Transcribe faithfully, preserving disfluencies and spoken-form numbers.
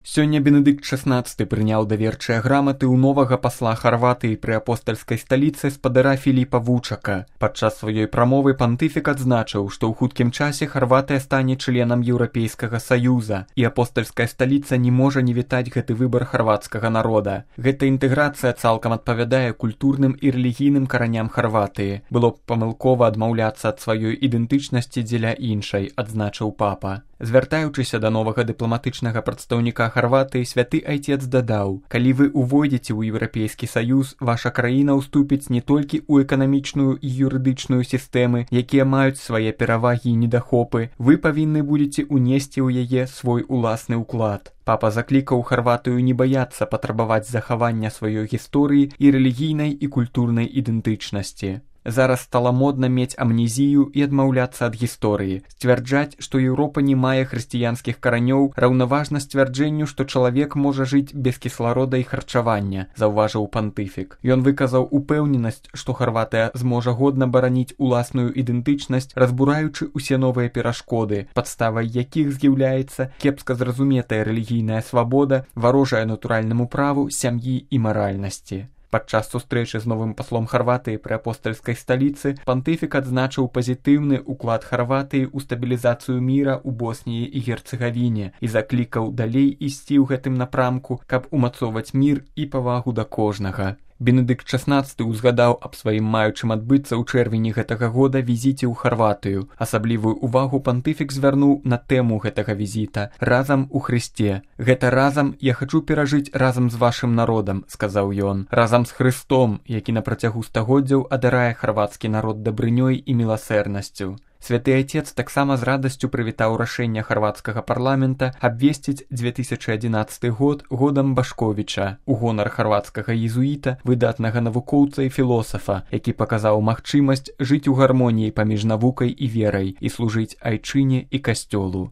Сёння Бенедыкт шаснаццаты прыняў даверчыя граматы ў новага пасла Харватыі пры апостальскай сталіцы спадара Філіпа Вучака. Падчас сваёй прамовы пантыфік адзначыў, што ў хуткім часе Харватыя стане членам Еўрапейскага саюза, і апостальская сталіца не можа не вітаць гэты выбар харвацкага народа. Гэта інтэграцыя цалкам адпавядае культурным і рэлігійным караням Харватыі. Было б памылкова адмаўляцца ад сваёй ідэнтычнасці дзеля іншай, адзначыў папа. Звяртаючыся да новага дыпламатычнага прадстаўніка Харватыі, святы айцец дадаў: «Калі вы увойдзеце ў Еўрапейскі саюз, ваша краіна ўступіць не толькі ў эканамічную і юрыдычную сістэмы, якія маюць свае перавагі і недахопы, вы павінны будзеце ўнесці ў яе свой уласны ўклад». Папа заклікаў Харватыю не баяцца патрабаваць захавання сваёй гісторыі і рэлігійнай і культурнай ідэнтычнасці. Зараз стала модна мець амнезію і адмаўляцца ад гісторыі. Сцвярджаць, што Еўропа не мае хрысціянскіх каранёў, раўнаважна сцвярджэнню, што чалавек можа жыць без кісларода і харчавання, заўважыў пантыфік. Ён выказаў упэўненасць, што Харватыя зможа годна бараніць уласную ідэнтычнасць, разбураючы ўсе новыя перашкоды, падставай якіх з'яўляецца кепска зразуметая рэлігійная свабода, варожая натуральнаму праву, сям'і і маральнасці. Падчас сустрэчы з новым паслом Харватыі пры апостальскай сталіцы пантыфік адзначыў пазітыўны ўклад Харватыі ў стабілізацыю міра ў Босніі і Герцэгавіне і заклікаў далей ісці ў гэтым напрамку, каб умацоўваць мір і павагу да кожнага. Бенедыкт шаснаццаты ўзгадаў аб сваім маючым адбыцца ў чэрвені гэтага года візіце ў Харватыю. Асаблівую ўвагу пантыфік звярнуў на тэму гэтага візіта «Разам у Хрысце». «Гэта разам я хачу перажыць разам з вашым народам», — сказаў ён, «разам з Хрыстом, які на працягу стагоддзяў адарае харвацкі народ дабрынёй і міласэрнасцю». Святы айцец таксама з радасцю прывітаў рашэнне харвацкага парламента абвесціць дзве тысячы адзінаццаты год годам Башковіча у гонар харвацкага езуіта, выдатнага навукоўца і філосафа, які паказаў магчымасць жыць у гармоніі паміж навукай і верай і служыць айчыне і касцёлу.